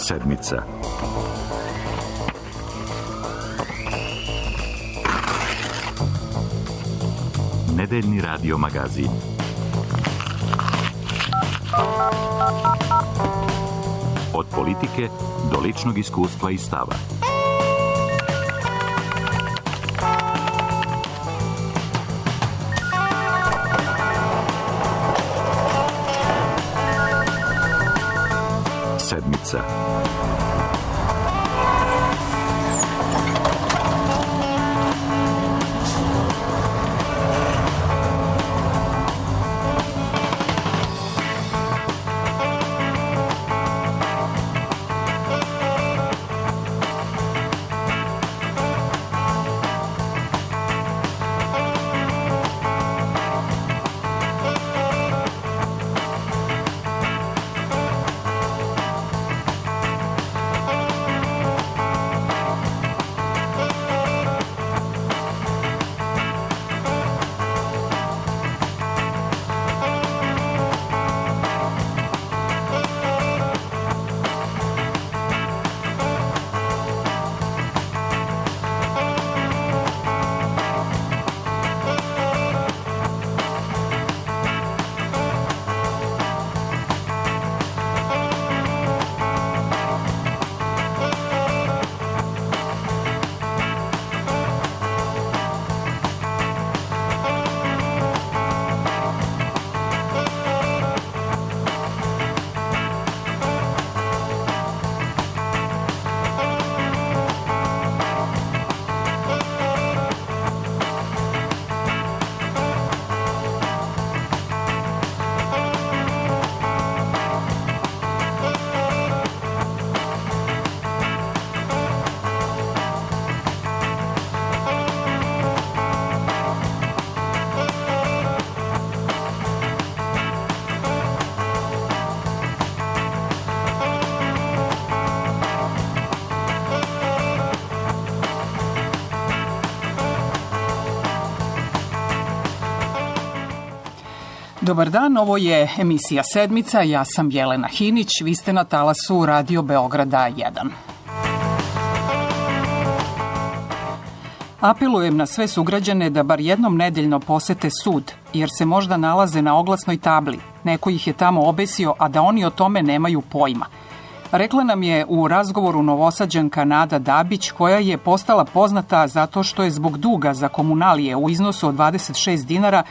Sedmica. Nedeljni radio magazin. Od politike do ličnog iskustva i stava. Sedmica. Dobar dan, ovo je emisija Sedmica, ja sam Jelena Hinić, vi ste na talasu Radio Beograda 1. Apelujem na sve sugrađane da bar jednom nedeljno posete sud, jer se možda nalaze na oglasnoj tabli. Neko ih je tamo obesio, a da oni o tome nemaju pojma. Rekla nam je u razgovoru Novosađanka Nada Dabić, koja je postala poznata zato što je zbog duga za komunalije u iznosu od 26 dinara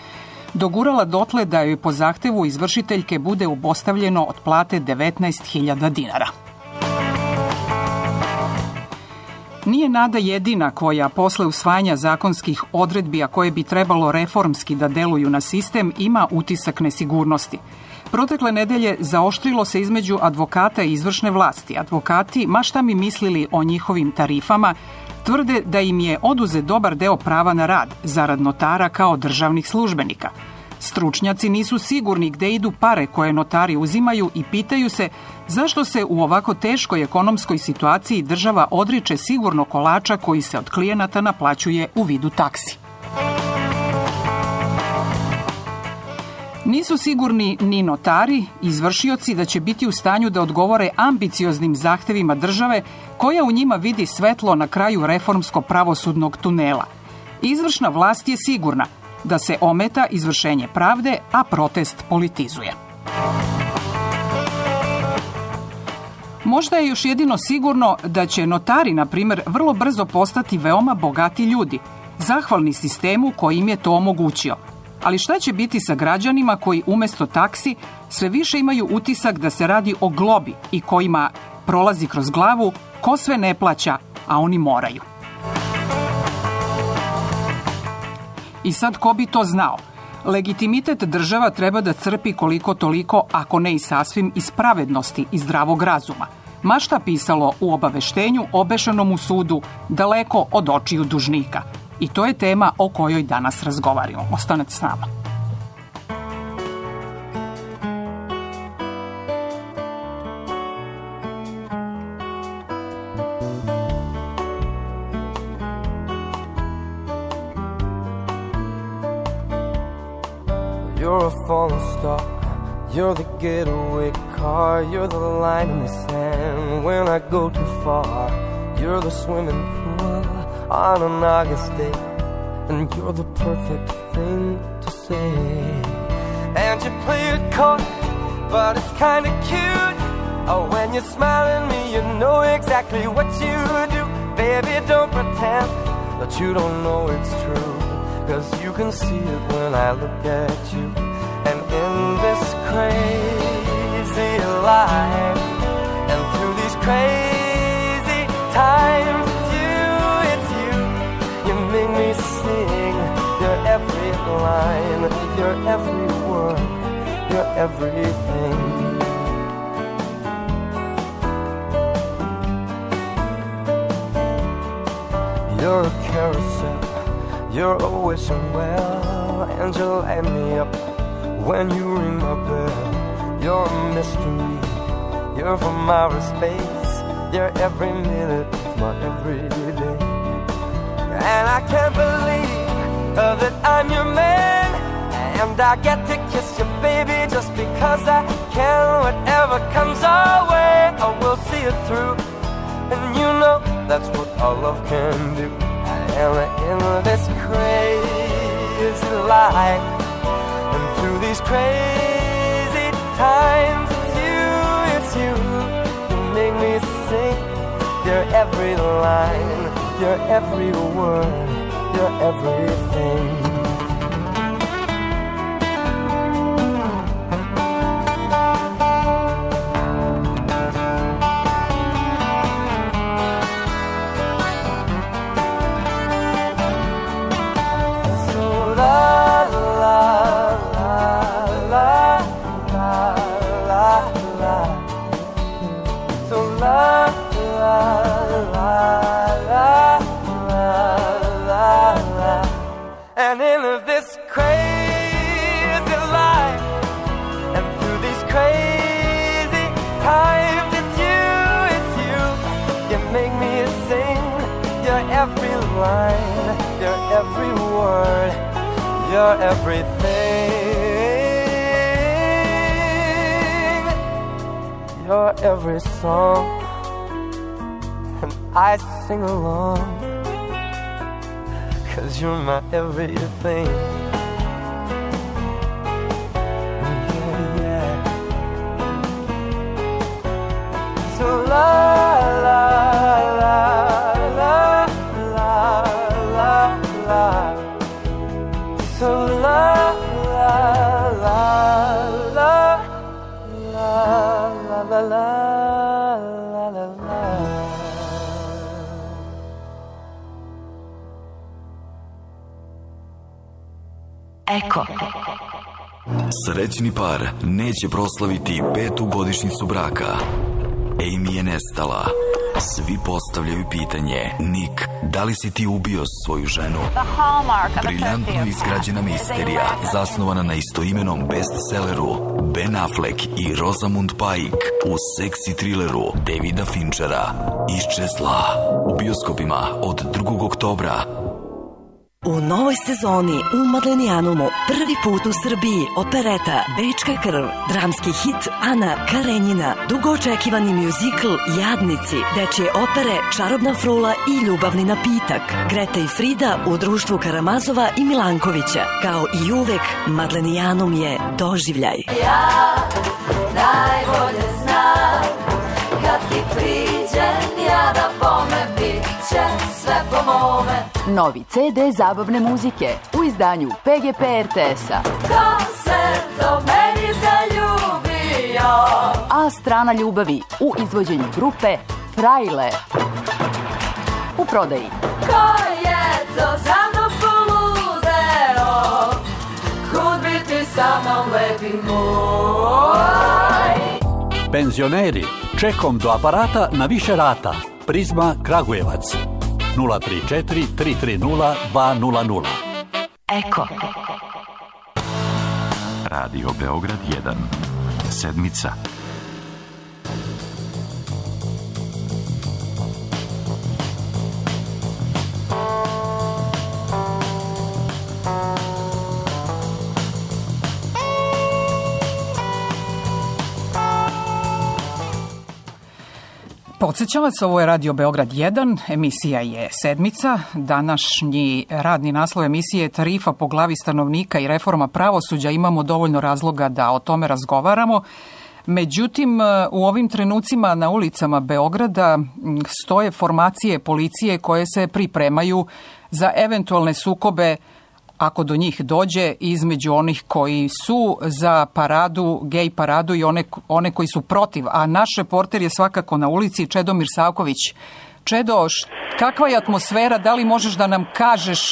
dogurala dotle da joj po zahtevu izvršiteljke bude obustavljeno od plate 19.000 dinara. Nije Nada jedina koja posle usvajanja zakonskih odredbi, a koje bi trebalo reformski da deluju na sistem, ima utisak nesigurnosti. Protekle nedelje zaoštrilo se između advokata i izvršne vlasti. Advokati, ma šta mi mislili o njihovim tarifama, tvrde da im je oduzet dobar deo prava na rad, zarad notara kao državnih službenika. Stručnjaci nisu sigurni gde idu pare koje notari uzimaju i pitaju se zašto se u ovako teškoj ekonomskoj situaciji država odriče sigurno kolača koji se od klijenata naplaćuje u vidu taksi. Nisu sigurni ni notari, izvršioci da će biti u stanju da odgovore ambicioznim zahtevima države koja u njima vidi svetlo na kraju reformsko-pravosudnog tunela. Izvršna vlast je sigurna da se ometa izvršenje pravde, a protest politizuje. Možda je još jedino sigurno da će notari, na primjer, vrlo brzo postati veoma bogati ljudi, zahvalni sistemu koji im je to omogućio. Ali šta će biti sa građanima koji umjesto taksi sve više imaju utisak da se radi o globi i kojima prolazi kroz glavu ko sve ne plaća, a oni moraju? I sad ko bi to znao? Legitimitet država treba da crpi koliko toliko, ako ne i sasvim, iz pravednosti i zdravog razuma. Ma šta pisalo u obaveštenju obešanom u sudu, daleko od očiju dužnika. I to je tema o kojoj danas razgovaramo. Ostanete s nama. You're a falling star, You're the getaway car, you're the line in the sand when I go too far. You're the swimming pool on an August day, and you're the perfect thing to say. And you play it coy, but it's kinda cute. Oh, when you smile at me, you know exactly what you do. Baby, don't pretend that you don't know it's true, 'cause you can see it when I look at you. And in this crazy life, and through these crazy times, it's you, you make me sing your every line, your every word, your everything. You're a carousel, you're a wishing well, and you light me up when you ring my bell. You're a mystery, you're from outer space, you're every minute of my everyday. And I can't believe that I'm your man, and I get to kiss you, baby, just because I can. Whatever comes our way, I will see it through, and you know that's what our love can do. And in this crazy life, and through these crazy times, it's you, you make me sing your every line, your every word, your everything. And in this crazy life, and through these crazy times, it's you, you make me sing your every line, your every word, your everything, your every song, and I sing along, 'cause you're my everything. Yeah, yeah. So la la la la la la la. So la la la la la la la la la la. Eko. Srećni par neće proslaviti 5. godišnjicu braka. Amy je nestala. Svi postavljaju pitanje: Nick, da li si ti ubio svoju ženu? Briljantno izgrađena misterija, zasnovana na istoimenom bestselleru Ben Affleck i Rosamund Pike u seksi trileru Davida Finchera Iščezla. U bioskopima od 2. oktobra. U novoj sezoni u Madlenijanumu prvi put u Srbiji opereta Bečka krv, dramski hit Ana Karenjina, dugo očekivani mjuzikl Jadnici, dečje opere Čarobna frula i Ljubavni napitak, Greta i Frida u društvu Karamazova i Milankovića. Kao i uvek, Madlenijanum je doživljaj. Ja najbolje znam, kad ti priđem ja da bome, bit će sve po mome. Novi CD zabavne muzike u izdanju PGP RTS-a. Ko se do meni zaljubio? A strana ljubavi u izvođenju grupe Frajle. U prodaji. Ko je to za mnom poludeo? Kud bi ti sa mnom lepi moj? Penzioneri, čekom do aparata na više rata. Prizma Kragujevac 034 330 200. Eko. Radio Beograd 1. Sedmica. Podsećam vas, ovo je Radio Beograd 1, emisija je Sedmica. Današnji radni naslov emisije je Tarifa po glavi stanovnika i reforma pravosuđa. Imamo dovoljno razloga da o tome razgovaramo. Međutim, u ovim trenucima na ulicama Beograda stoje formacije policije koje se pripremaju za eventualne sukobe, ako do njih dođe, između onih koji su za paradu, gej paradu i one koji su protiv. A naš reporter je svakako na ulici, Čedomir Savković. Čedo, kakva je atmosfera? Da li možeš da nam kažeš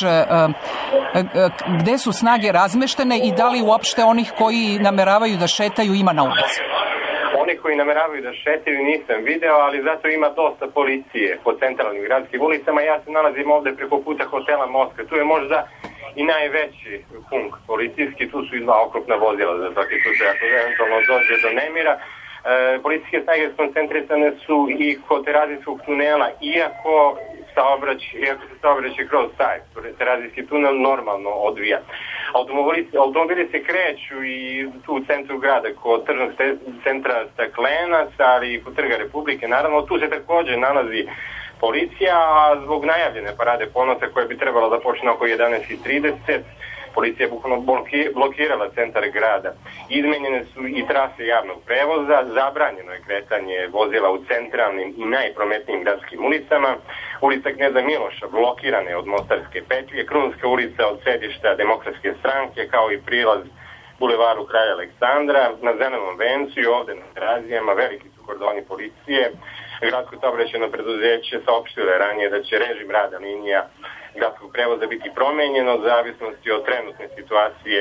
gde su snage razmeštene i da li uopšte onih koji nameravaju da šetaju ima na ulici? Oni koji nameravaju da šetaju nisam video, ali zato ima dosta policije po centralnim gradskim ulicama. Ja se nalazim ovde preko puta hotela Moskva. Tu je možda i najveći punkt policijski. Tu su i 2 okrupna vozila za svaki slučaj ako eventualno dođe do nemira. Policijske snage koncentrisane su i kod Terazijskog tunela, iako se saobraćaj kroz taj Terazijski tunel normalno odvija. Automobili se kreću i tu u centru grada kod tržnog centra Staklenac, ali i kod Trga Republike. Naravno, tu se takođe nalazi policija, a zbog najavljene parade ponosa koja bi trebala da počne oko 11:30, policija je bukvalno blokirala centar grada. Izmenjene su i trase javnog prevoza, zabranjeno je kretanje vozila u centralnim i najprometnijim gradskim ulicama. Ulica Kneza Miloša blokirana je od Mostarske petlje, Krunska ulica od sedišta Demokratske stranke, kao i prilaz bulevaru Kralja Aleksandra. Na Zelenom vencu i ovde na Terazijama veliki su kordoni policije. Gradsko saobraćajno preduzeće saopštilo je ranije da će režim rada linija gradskog prevoza biti promenjeno u zavisnosti od trenutne situacije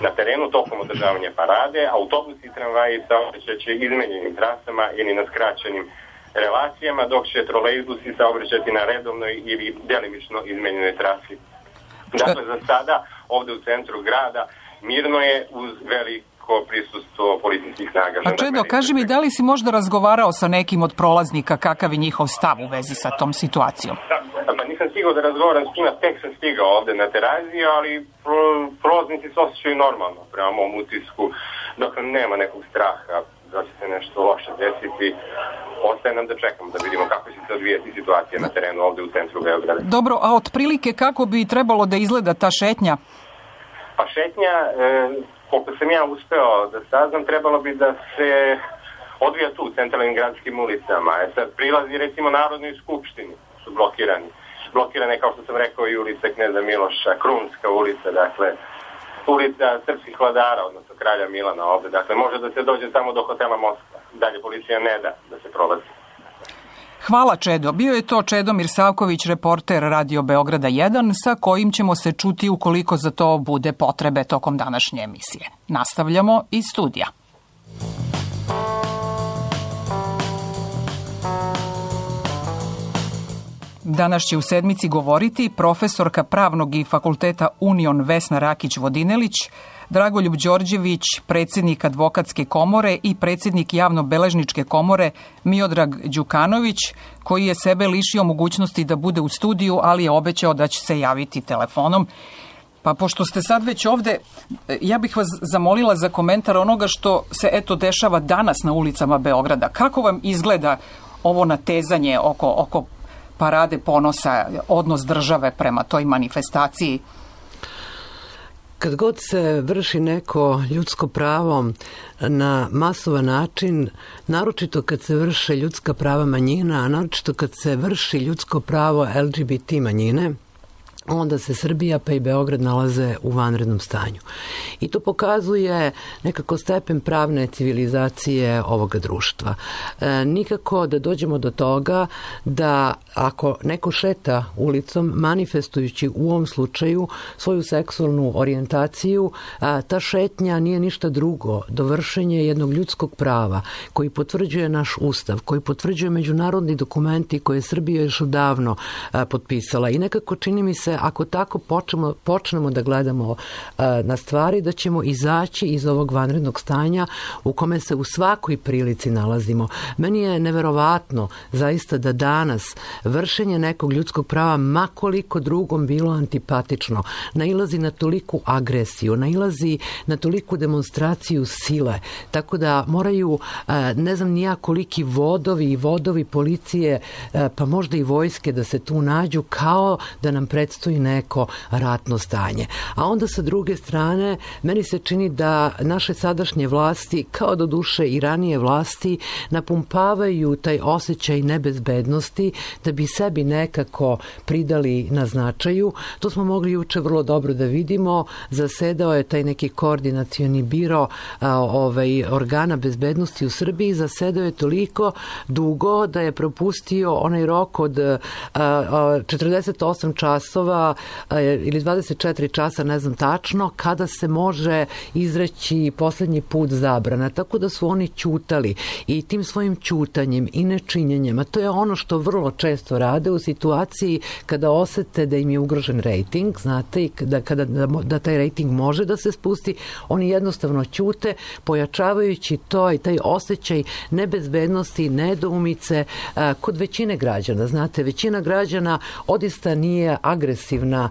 na terenu tokom održavanja parade. Autobusi i tramvaji saobraćaće izmenjenim trasama ili na skraćenim relacijama, dok će trolejbusi saobraćati na redovnoj ili delimično izmenjenoj trasi. Dakle, za sada ovde u centru grada mirno je uz veliko prisustvo policijskih snaga. A Čedo, kaži mi, da li si možda razgovarao sa nekim od prolaznika, kakav je njihov stav u vezi sa tom situacijom? Pa nisam stigao da razgovaram s njima, tek sam stigao ovde na Teraziju, ali prolaznici se osjećaju normalno prema mom utisku, dok nema nekog straha da će se nešto loše desiti. Ostaje nam da čekamo da vidimo kako će se odvijati situacija na terenu ovde u centru Beograda. Dobro, a otprilike kako bi trebalo da izgleda ta šetnja? Pa šetnja, koliko sam ja uspeo da saznam, trebalo bi da se odvija tu u centralnim gradskim ulicama. Sad prilazi recimo Narodnoj skupštini su blokirani. Blokirane, kao što sam rekao, i ulica Kneza Miloša, Krunska ulica, dakle ulica Srpskih vladara, odnosno Kralja Milana ovde. Dakle, može da se dođe samo do hotela Moskva. Dalje policija ne da se prolazi. Hvala, Čedo. Bio je to Čedomir Savković, reporter Radio Beograda 1, sa kojim ćemo se čuti ukoliko za to bude potrebe tokom današnje emisije. Nastavljamo iz studija. Danas će u Sedmici govoriti profesorka pravnog i fakulteta Union Vesna Rakić-Vodinelić, Dragoljub Đorđević, predsjednik advokatske komore i predsjednik javno-beležničke komore Miodrag Đukanović, koji je sebe lišio mogućnosti da bude u studiju, ali je obećao da će se javiti telefonom. Pa pošto ste sad već ovde, ja bih vas zamolila za komentar onoga što se dešava danas na ulicama Beograda. Kako vam izgleda ovo natezanje oko parade ponosa, odnos države prema toj manifestaciji? Kad god se vrši neko ljudsko pravo na masovan način, naročito kad se vrše ljudska prava manjina, a naročito kad se vrši ljudsko pravo LGBT manjine, onda se Srbija pa i Beograd nalaze u vanrednom stanju. I to pokazuje nekako stepen pravne civilizacije ovoga društva. Nikako da dođemo do toga da ako neko šeta ulicom manifestujući u ovom slučaju svoju seksualnu orijentaciju, ta šetnja nije ništa drugo do vršenja jednog ljudskog prava koji potvrđuje naš ustav, koji potvrđuje međunarodni dokumenti koje je Srbija još odavno potpisala. I nekako čini mi se se ako tako počnemo da gledamo na stvari, da ćemo izaći iz ovog vanrednog stanja u kome se u svakoj prilici nalazimo. Meni je neverovatno zaista da danas vršenje nekog ljudskog prava, ma koliko drugom bilo antipatično, nailazi na toliku agresiju, nailazi na toliku demonstraciju sile, tako da moraju, ne znam nija koliki vodovi policije, pa možda i vojske da se tu nađu, kao da nam predstoji neko ratno stanje. A onda sa druge strane, meni se čini da naše sadašnje vlasti, kao do duše i ranije vlasti, napumpavaju taj osjećaj nebezbednosti da bi sebi nekako pridali na značaju. To smo mogli juče vrlo dobro da vidimo. Zasedao je taj neki koordinacioni biro organa bezbednosti u Srbiji, zasedao je toliko dugo da je propustio onaj rok od 48 časova ili 24 časa, ne znam tačno, kada se može izreći poslednji put zabrana. Tako da su oni ćutali i tim svojim ćutanjem i nečinjenjem, a to je ono što vrlo često rade u situaciji kada osete da im je ugrožen rejting, znate, i da taj rejting može da se spusti, oni jednostavno ćute, pojačavajući to i taj osjećaj nebezbednosti, nedoumice kod većine građana. Znate, većina građana odista nije agresivna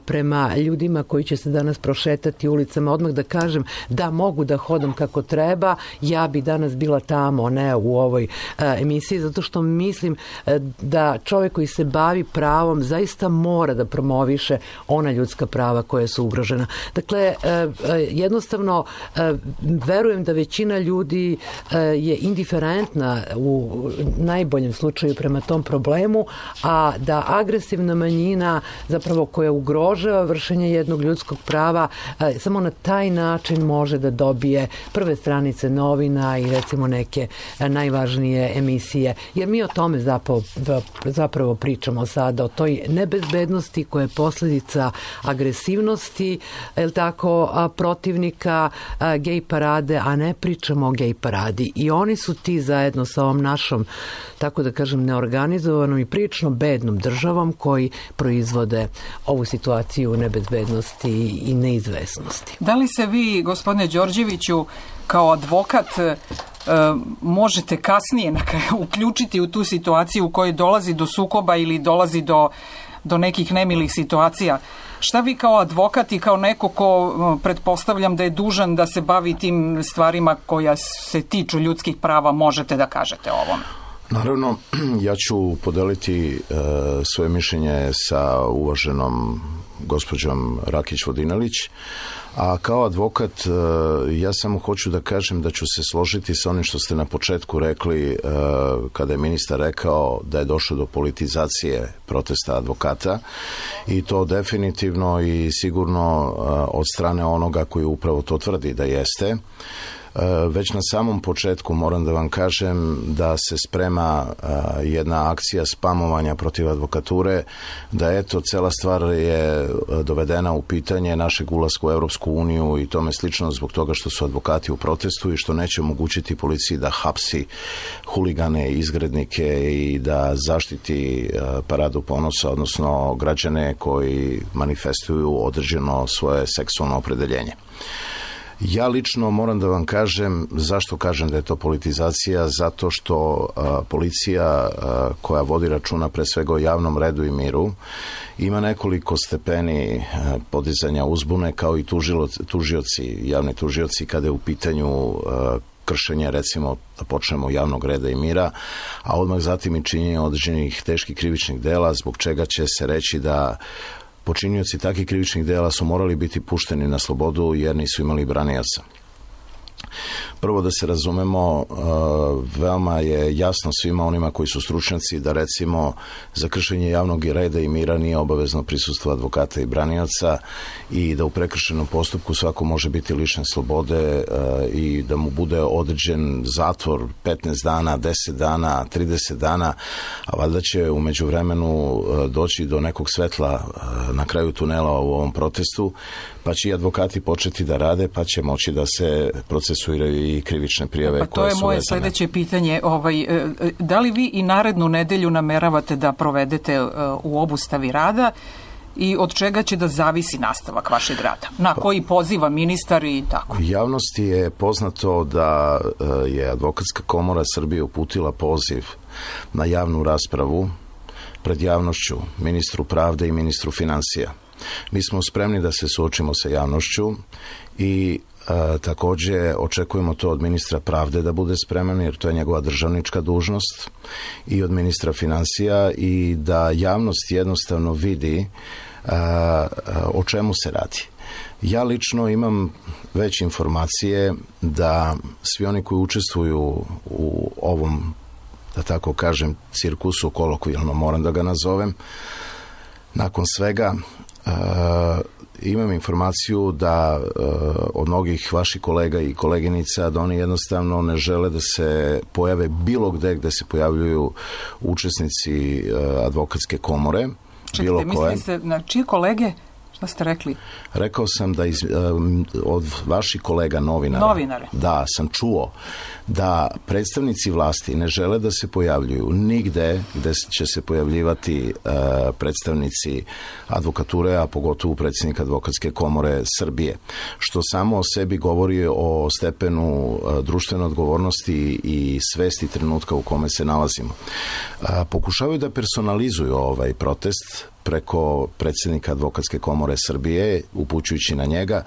prema ljudima koji će se danas prošetati ulicama. Odmah da kažem da mogu da hodam kako treba, ja bi danas bila tamo, ne u ovoj emisiji, zato što mislim da čovjek koji se bavi pravom zaista mora da promoviše ona ljudska prava koja su ugrožena. Dakle, jednostavno verujem da većina ljudi je indiferentna u najboljem slučaju prema tom problemu, a da agresivna manjina zapravo koja ugrožava vršenje jednog ljudskog prava samo na taj način može da dobije prve stranice novina i recimo neke najvažnije emisije. Jer mi o tome zapravo pričamo sada, o toj nebezbednosti koja je posljedica agresivnosti, protivnika gej parade, a ne pričamo o gej paradi. I oni su ti zajedno sa ovom našom, tako da kažem, neorganizovanom i prilično bednom državom koji proizvode ovu situaciju nebezbednosti i neizvesnosti. Da li se vi, gospodine Đorđeviću, kao advokat možete kasnije uključiti u tu situaciju u kojoj dolazi do sukoba ili dolazi do nekih nemilih situacija? Šta vi kao advokat i kao neko ko pretpostavljam da je dužan da se bavi tim stvarima koja se tiču ljudskih prava možete da kažete o ovom? Naravno, ja ću podeliti svoje mišljenje sa uvaženom gospođom Rakić-Vodinelić, a kao advokat ja samo hoću da kažem da ću se složiti sa onim što ste na početku rekli kada je ministar rekao da je došlo do politizacije protesta advokata, i to definitivno i sigurno od strane onoga koji upravo to tvrdi da jeste. Već na samom početku moram da vam kažem da se sprema jedna akcija spamovanja protiv advokature, da eto cela stvar je dovedena u pitanje našeg ulaska u Europsku uniju i tome slično zbog toga što su advokati u protestu i što neće omogućiti policiji da hapsi huligane i izgrednike i da zaštiti paradu ponosa, odnosno građane koji manifestuju određeno svoje seksualno opredeljenje. Ja lično moram da vam kažem zašto kažem da je to politizacija, zato što policija koja vodi računa pre svega o javnom redu i miru ima nekoliko stepeni podizanja uzbune kao i tužioci, javni tužioci kada je u pitanju kršenje, recimo da počnemo javnog reda i mira, a odmah zatim i činjenje određenih teških krivičnih dela, zbog čega će se reći da počinioci takvih krivičnih dela su morali biti pušteni na slobodu jer nisu imali branioca. Prvo da se razumemo, veoma je jasno svima onima koji su stručnjaci da recimo za kršenje javnog reda i mira nije obavezno prisustvo advokata i branioca i da u prekršenom postupku svako može biti lišen slobode i da mu bude određen zatvor 15 dana, 10 dana, 30 dana, a valjda će u međuvremenu doći do nekog svetla na kraju tunela u ovom protestu, pa će i advokati početi da rade, pa će moći da se procesuiraju i krivične prijave. Pa to je moje sledeće pitanje. Da li vi i narednu nedelju nameravate da provedete u obustavi rada i od čega će da zavisi nastavak vašeg rada? Na koji poziva ministar i tako? Javnosti je poznato da je Advokatska komora Srbije uputila poziv na javnu raspravu pred javnošću, ministru pravde i ministru finansija. Mi smo spremni da se suočimo sa javnošću i također očekujemo to od ministra pravde da bude spreman, jer to je njegova državnička dužnost, i od ministra finansija, i da javnost jednostavno vidi o čemu se radi. Ja lično imam već informacije da svi oni koji učestvuju u ovom, da tako kažem, cirkusu, kolokvijalno moram da ga nazovem, nakon svega imam informaciju da od mnogih vaših kolega i koleginica da oni jednostavno ne žele da se pojave bilo gde se pojavljuju učesnici Advokatske komore. Čekajte, mislite na čije kolege? Šta ste rekli? Rekao sam da od vaših kolega novinara, da, sam čuo da predstavnici vlasti ne žele da se pojavljuju nigde gde će se pojavljivati predstavnici advokature, a pogotovo predsjednik Advokatske komore Srbije, što samo o sebi govori o stepenu društvene odgovornosti i svesti trenutka u kome se nalazimo. Pokušavaju da personalizuju ovaj protest preko predsjednika Advokatske komore Srbije, upućujući na njega.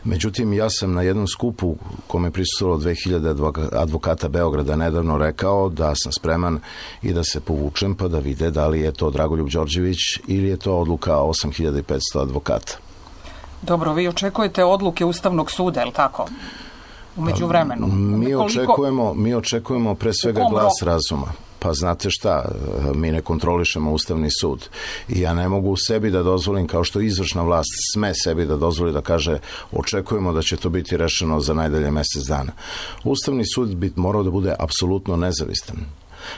Međutim, ja sam na jednom skupu kome je prisustvovalo 2000 advokata Beograda nedavno rekao da sam spreman i da se povučem pa da vide da li je to Dragoljub Đorđević ili je to odluka 8500 advokata. Dobro, vi očekujete odluke Ustavnog suda, je li tako? U međuvremenu. Mi očekujemo pre svega glas razuma. Pa znate šta, mi ne kontrolišemo Ustavni sud i ja ne mogu sebi da dozvolim, kao što izvršna vlast sme sebi da dozvoli da kaže očekujemo da će to biti rešeno za najdalje mjesec dana. Ustavni sud bi morao da bude apsolutno nezavistan.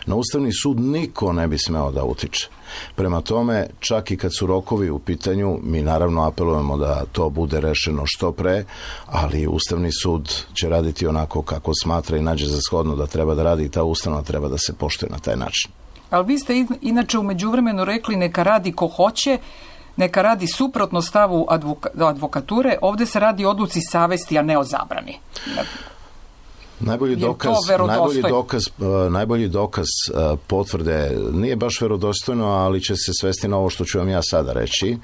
Na Ustavni sud niko ne bi smeo da utiče. Prema tome, čak i kad su rokovi u pitanju, mi naravno apelujemo da to bude rešeno što pre, ali Ustavni sud će raditi onako kako smatra i nađe za shodno da treba da radi i ta ustanova treba da se poštuje na taj način. Ali vi ste inače u međuvremenu rekli neka radi ko hoće, neka radi suprotno stavu advokature, ovdje se radi o odluci savesti, a ne o zabrani. Najbolji dokaz potvrde nije baš verodostojno, ali će se svesti na ovo što ću vam ja sada reći.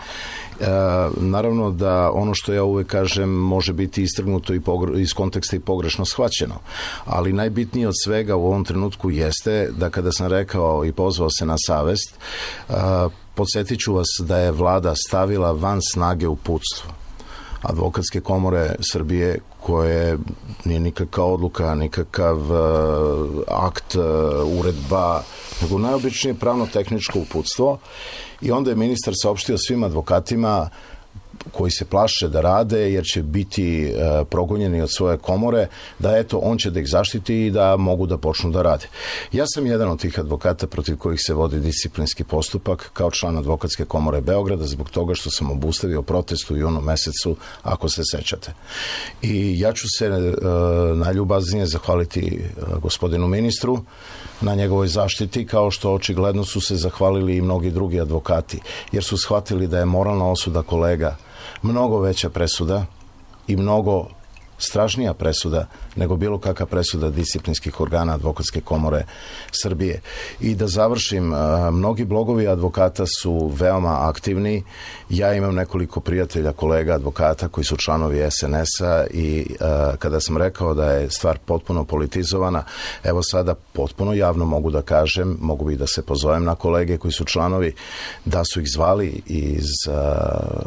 Naravno da ono što ja uvek kažem može biti istrgnuto iz konteksta i pogrešno shvaćeno, ali najbitnije od svega u ovom trenutku jeste da kada sam rekao i pozvao se na savest, podsjetit ću vas da je vlada stavila van snage uputstvo Advokatske komore Srbije, koje nije nikakva odluka, nikakav akt, uredba, nego najobičnije pravno-tehničko uputstvo, i onda je ministar saopštio svim advokatima koji se plaše da rade jer će biti progonjeni od svoje komore, da eto, on će da ih zaštiti i da mogu da počnu da rade. Ja sam jedan od tih advokata protiv kojih se vodi disciplinski postupak kao član Advokatske komore Beograda zbog toga što sam obustavio protest u junu mesecu, ako se sećate. I ja ću se najljubaznije zahvaliti gospodinu ministru na njegovoj zaštiti, kao što očigledno su se zahvalili i mnogi drugi advokati, jer su shvatili da je moralna osuda kolega mnogo veća presuda i mnogo strašnija presuda nego bilo kakva presuda disciplinskih organa Advokatske komore Srbije. I da završim, mnogi blogovi advokata su veoma aktivni. Ja imam nekoliko prijatelja, kolega advokata koji su članovi SNS-a i kada sam rekao da je stvar potpuno politizovana, evo sada potpuno javno mogu da kažem, mogu bi da se pozovem na kolege koji su članovi, da su ih zvali iz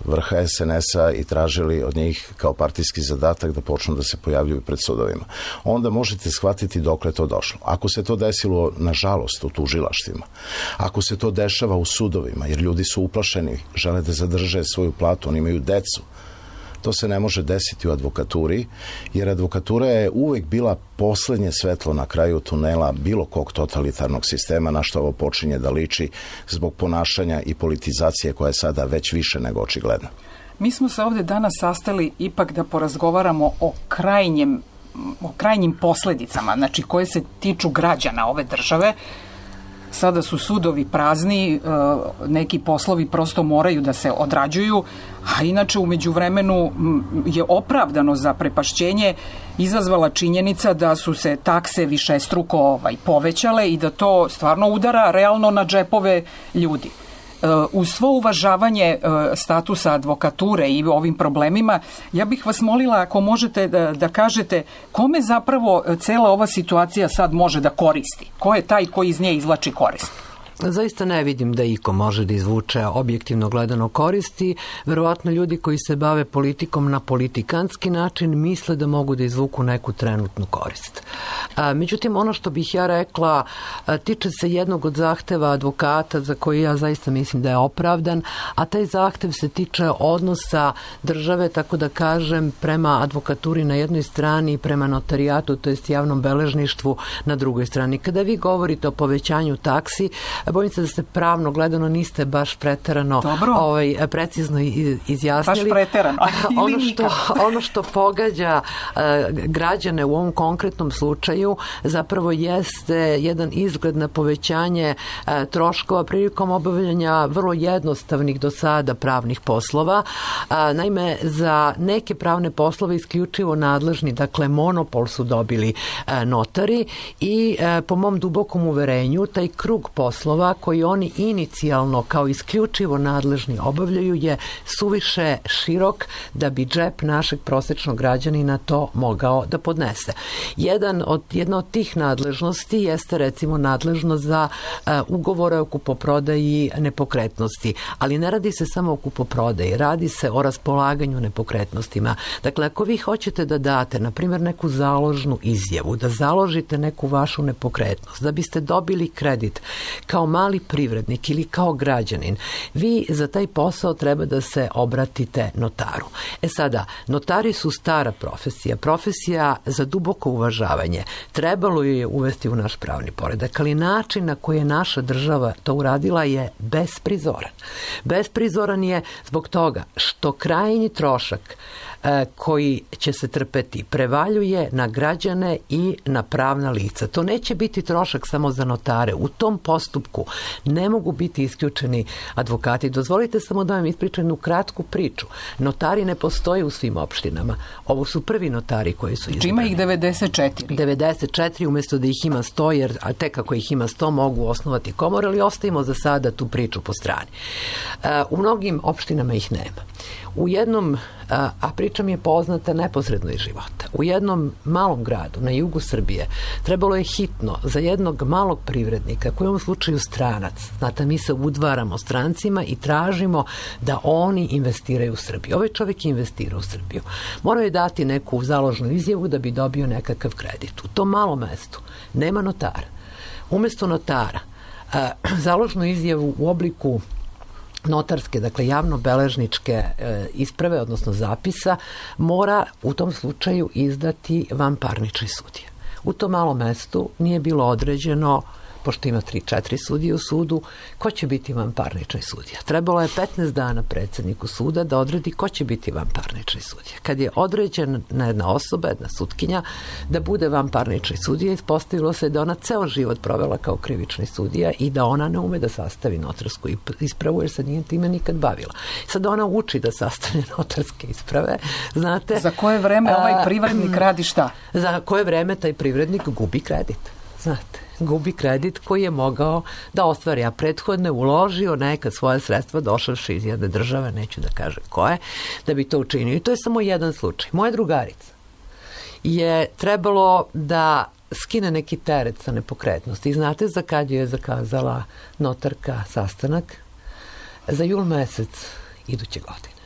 vrha SNS-a i tražili od njih kao partijski zadatak da počnu da se pojavljuju pred sudovima. Onda možete shvatiti dokle to došlo. Ako se to desilo, nažalost, u tužilaštvima, ako se to dešava u sudovima, jer ljudi su uplašeni, žele da zadrže svoju platu, oni imaju decu, to se ne može desiti u advokaturi, jer advokatura je uvek bila poslednje svetlo na kraju tunela bilo kog totalitarnog sistema, na što ovo počinje da liči zbog ponašanja i politizacije koja je sada već više nego očigledna. Mi smo se ovdje danas sastali ipak da porazgovaramo o krajnjim posledicama, znači koje se tiču građana ove države. sada su sudovi prazni, neki poslovi prosto moraju da se odrađuju, a inače u međuvremenu je opravdano zaprepašćenje izazvala činjenica da su se takse višestruko povećale i da to stvarno udara realno na džepove ljudi. Uz svo uvažavanje statusa advokature i ovim problemima, ja bih vas molila ako možete da kažete kome zapravo cela ova situacija sad može da koristi? Ko je taj koji iz nje izvlači korist? Zaista ne vidim da iko može da izvuče objektivno gledano koristi. Verovatno ljudi koji se bave politikom na politikanski način misle da mogu da izvuku neku trenutnu korist. Međutim, ono što bih ja rekla tiče se jednog od zahteva advokata za koji ja zaista mislim da je opravdan, a taj zahtev se tiče odnosa države, tako da kažem, prema advokaturi na jednoj strani i prema notarijatu, to jest javnom beležništvu na drugoj strani. Kada vi govorite o povećanju taksi, bojim se da ste pravno gledano niste baš preterano precizno izjasnili. Baš preterano. Ono što pogađa građane u ovom konkretnom slučaju zapravo jeste jedan izgled na povećanje troškova prilikom obavljanja vrlo jednostavnih do sada pravnih poslova. Naime, za neke pravne poslove isključivo nadležni, dakle monopol su dobili notari i po mom dubokom uverenju taj krug poslova koji oni inicijalno kao isključivo nadležni obavljaju je suviše širok da bi džep našeg prosječnog građanina to mogao da podnese. Jedna od tih nadležnosti jeste recimo nadležnost za ugovore o kupoprodaji nepokretnosti, ali ne radi se samo o kupoprodaji, radi se o raspolaganju nepokretnostima. Dakle, ako vi hoćete da date, na primjer, neku založnu izjavu, da založite neku vašu nepokretnost, da biste dobili kredit kao mali privrednik ili kao građanin, vi za taj posao treba da se obratite notaru. Sada, notari su stara profesija za duboko uvažavanje. Trebalo je uvesti u naš pravni poredak, ali način na koji je naša država to uradila je besprizoran. Besprizoran je zbog toga što krajnji trošak koji će se trpeti prevaljuje na građane i na pravna lica. To neće biti trošak samo za notare. U tom postupku ne mogu biti isključeni advokati. Dozvolite samo da vam ispričam jednu kratku priču. Notari ne postoje u svim opštinama. Ovo su prvi notari koji su izabrani. Ima ih 94. 94 umjesto da ih ima 100, jer tek ako ih ima 100 mogu osnovati komore, ali ostavimo za sada tu priču po strani. U mnogim opštinama ih nema. U jednom, a priča mi je poznata neposredno iz života, u jednom malom gradu na jugu Srbije trebalo je hitno za jednog malog privrednika, koji je u ovom slučaju stranac, znate, mi se udvaramo strancima i tražimo da oni investiraju u Srbiju. Ovaj čovjek je investirao u Srbiju. Morao je dati neku založnu izjavu da bi dobio nekakav kredit. U tom malom mestu nema notara. Umjesto notara, založnu izjavu u obliku notarske, dakle javno-beležničke isprave, odnosno zapisa, mora u tom slučaju izdati vanparnični sudija. U tom malom mestu nije bilo određeno, pošto ima 3-4 sudije u sudu, ko će biti vanparnični sudija. Trebalo je 15 dana predsjedniku suda da odredi ko će biti vanparnični sudija. Kad je određena jedna osoba, jedna sutkinja, da bude vanparnični sudija, ispostavilo se da ona ceo život provela kao krivični sudija i da ona ne ume da sastavi notarsku ispravu, jer se nije time nikad bavila. Sad ona uči da sastavlja notarske isprave, znate. Za koje vreme ovaj privrednik radi šta? Za koje vreme taj privrednik gubi kredit, znate. Gubi kredit koji je mogao da ostvari, a prethodno je uložio neka svoja sredstva došavši iz jedne države, neću da kažem koje, da bi to učinio. I to je samo jedan slučaj. Moja drugarica je trebalo da skine neki teret sa nepokretnosti. I znate za kad je zakazala notarka sastanak? Za jul mesec iduće godine.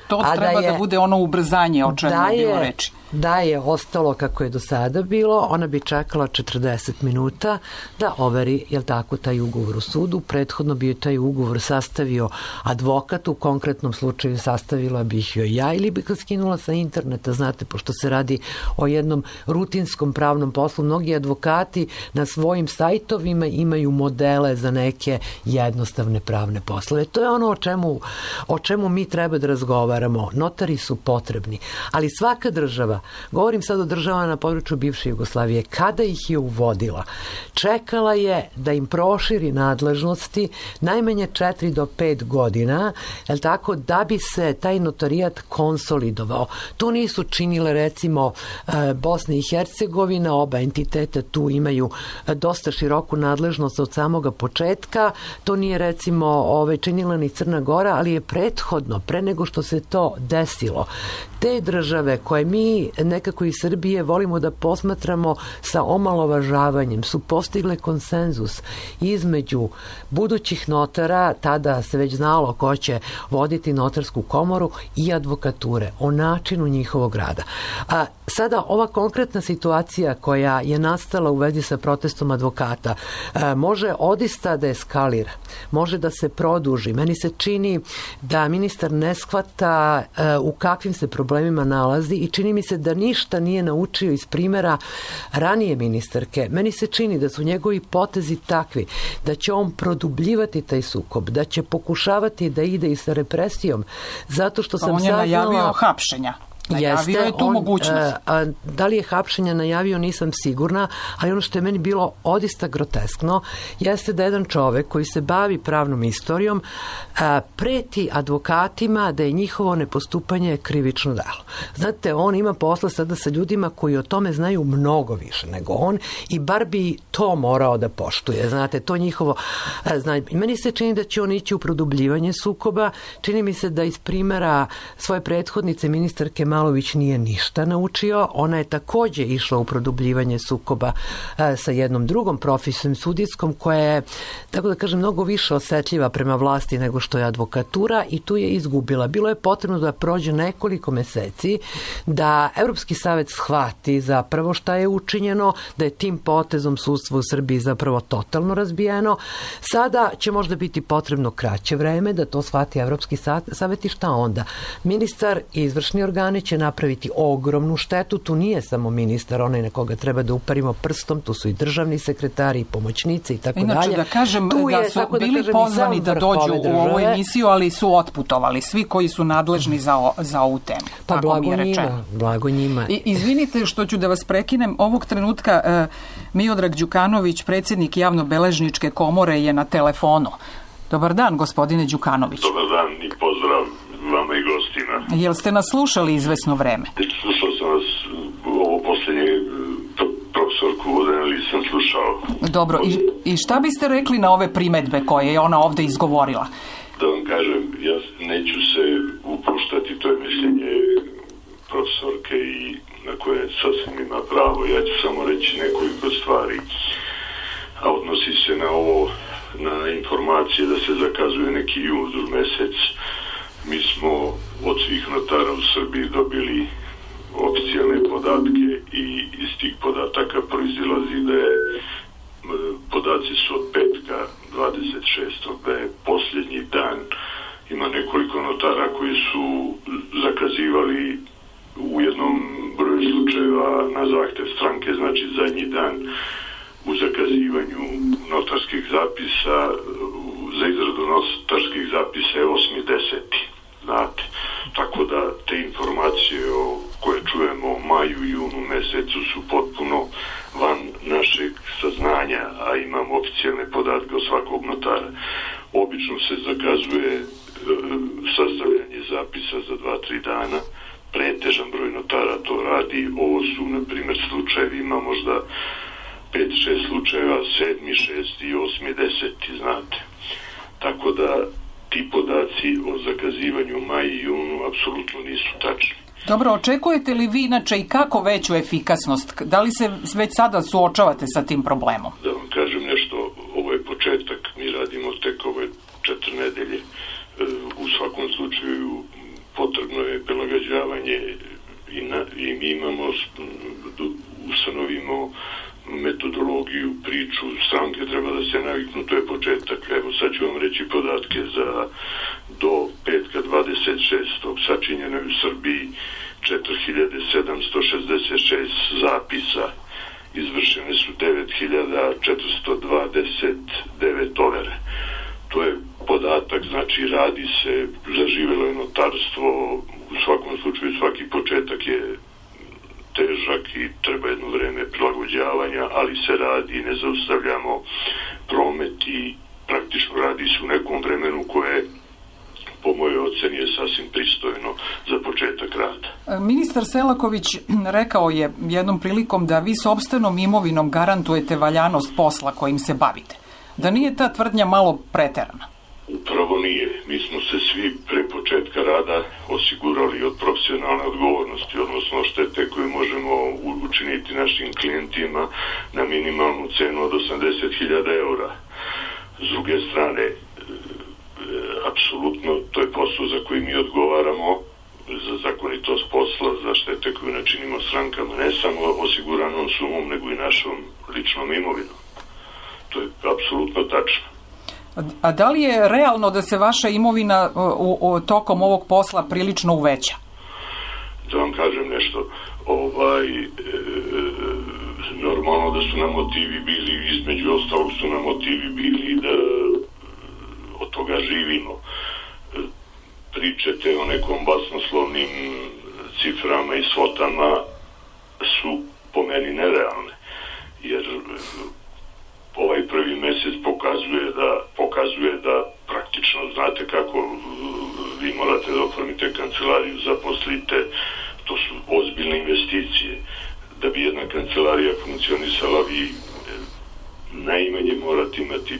To treba da bude ono ubrzanje o čemu je bilo reči. Da je ostalo kako je do sada bilo, ona bi čekala 40 minuta da overi, jel tako, taj ugovor u sudu. Prethodno bi taj ugovor sastavio advokat, u konkretnom slučaju sastavila bih joj ja ili bi ga skinula sa interneta, znate, pošto se radi o jednom rutinskom pravnom poslu. Mnogi advokati na svojim sajtovima imaju modele za neke jednostavne pravne poslove. To je ono o čemu mi treba da razgovaramo. Notari su potrebni, ali svaka država, govorim sad o državama na području bivše Jugoslavije, kada ih je uvodila, čekala je da im proširi nadležnosti najmanje 4 do 5 godina, jel tako, da bi se taj notarijat konsolidovao. To nisu činile recimo Bosna i Hercegovina, oba entiteta tu imaju dosta široku nadležnost od samoga početka, to nije recimo činila ni Crna Gora, ali je prethodno, pre nego što se to desilo, te države koje mi nekako iz Srbije volimo da posmatramo sa omalovažavanjem su postigle konsenzus između budućih notara, tada se već znalo ko će voditi notarsku komoru, i advokature, o načinu njihovog rada. A sada ova konkretna situacija koja je nastala u vezi sa protestom advokata može odista da eskalira, može da se produži. Meni se čini da ministar ne shvata u kakvim se problemima nalazi i čini mi se da ništa nije naučio iz primjera ranije ministarke. Meni se čini da su njegovi potezi takvi da će on produbljivati taj sukob, da će pokušavati da ide i sa represijom, zato što sam saznala... On je najavio hapšenja. Najavio je tu mogućnost. Da li je hapšenja najavio, nisam sigurna, ali ono što je meni bilo odista groteskno jeste da jedan čovek koji se bavi pravnom istorijom preti advokatima da je njihovo nepostupanje krivično delo. Znate, on ima posla sada sa ljudima koji o tome znaju mnogo više nego on i bar bi to morao da poštuje. Znate, to njihovo znanje. Meni se čini da će on ići u produbljivanje sukoba. Čini mi se da iz primjera svoje prethodnice ministarke Malović nije ništa naučio. Ona je takođe išla u produbljivanje sukoba sa jednom drugom profesijom sudijskom koja je, tako da kažem, mnogo više osetljiva prema vlasti nego što je advokatura i tu je izgubila. Bilo je potrebno da prođe nekoliko meseci da Evropski savet shvati zapravo šta je učinjeno, da je tim potezom sudstvo u Srbiji zapravo totalno razbijeno. Sada će možda biti potrebno kraće vreme da to shvati Evropski savet i šta onda? Ministar i izvršni organi će napraviti ogromnu štetu. Tu nije samo ministar, onaj na koga treba da uparimo prstom, tu su i državni sekretari i pomoćnici i tako dalje. Inače da kažem da su bili pozvani da dođu u ovu emisiju, ali su otputovali svi koji su nadležni za ovu temu. Pa blago njima. Izvinite što ću da vas prekinem. Ovog trenutka Miodrag Đukanović, predsjednik Javnobeležničke komore, je na telefonu. Dobar dan, gospodine Đukanović. Dobar dan i pozdrav vama i gostima. Jel ste nas slušali izvesno vreme? Slušao sam vas, ovo posljednje profesorku Vodeneli sam slušao. Dobro, i šta biste rekli na ove primedbe koje je ona ovde izgovorila? Da vam kažem, ja neću se upuštati, to je mišljenje profesorke i na koje sasvim ima pravo. Ja ću samo reći nekoliko stvari, a odnosi se na ovo, na informacije da se zakazuje neki judr mesec. Mi smo od svih notara u Srbiji dobili oficijalne podatke i iz tih podataka proizilazi da je podaci su od petka 26. da je posljednji dan. Ima nekoliko notara koji su zakazivali u jednom broju slučajeva na zahtev stranke, znači zadnji dan u zakazivanju notarskih zapisa, za izradu notarskih zapisa je 8.10. Znate, tako da te informacije koje čujemo u maju i junu mesecu su potpuno van našeg saznanja, a imamo oficijalne podatke od svakog notara. Obično se zakazuje sastavljanje zapisa za 2-3 dana, pretežan broj notara to radi. Ovo su, na primjer, slučajevi, ima možda 5-6 slučajeva, 7., 6. i 8., 10. znate. Tako da ti podaci o zakazivanju maj i junu apsolutno nisu tačni. Dobro, očekujete li vi inače i kako veću efikasnost? Da li se već sada suočavate sa tim problemom? Da vam kažem nešto, ovo je početak, mi radimo tek ove 4 nedelje. U svakom slučaju potrebno je prilagođavanje i mi imamo, ustanovimo metodologiju, priču, stranke treba da se naviknu, to je početak. Evo, sad ću vam reći podatke do petka 26. sačinjeno je u Srbiji 4766 zapisa, izvršene su 9429 overe. To je podatak, znači radi se, zaživjelo je notarstvo, u svakom slučaju svaki početak je težak i treba jedno vreme prilagođavanja, ali se radi, ne zaustavljamo promet i praktično radi se u nekom vremenu koje po mojoj oceni je sasvim pristojno za početak rada. Ministar Selaković rekao je jednom prilikom da vi sopstvenom imovinom garantujete valjanost posla kojim se bavite. Da nije ta tvrdnja malo preterana? Upravo nije. Mi smo se svi pre početka rada osigurali od profesionalne odgovornosti, odnosno štete koje možemo učiniti našim klijentima na minimalnu cenu od 80.000 eura. S druge strane, apsolutno, to je posao za koji mi odgovaramo, za zakonitost posla, za štete koju načinimo strankama, ne samo osiguranom sumom, nego i našom ličnom imovinom. To je apsolutno tačno. A da li je realno da se vaša imovina tokom ovog posla prilično uveća? Da vam kažem nešto, normalno da su nam motivi bili, između ostalog su nam motivi bili da od toga živimo. Pričate o nekom basnoslovnim ciframa i svotama su po meni nerealne, jer ovaj prvi mjesec pokazuje da praktično znate kako vi morate da oformite kancelariju, zaposlite, to su ozbiljne investicije. Da bi jedna kancelarija funkcionisala, vi najmanje morate imati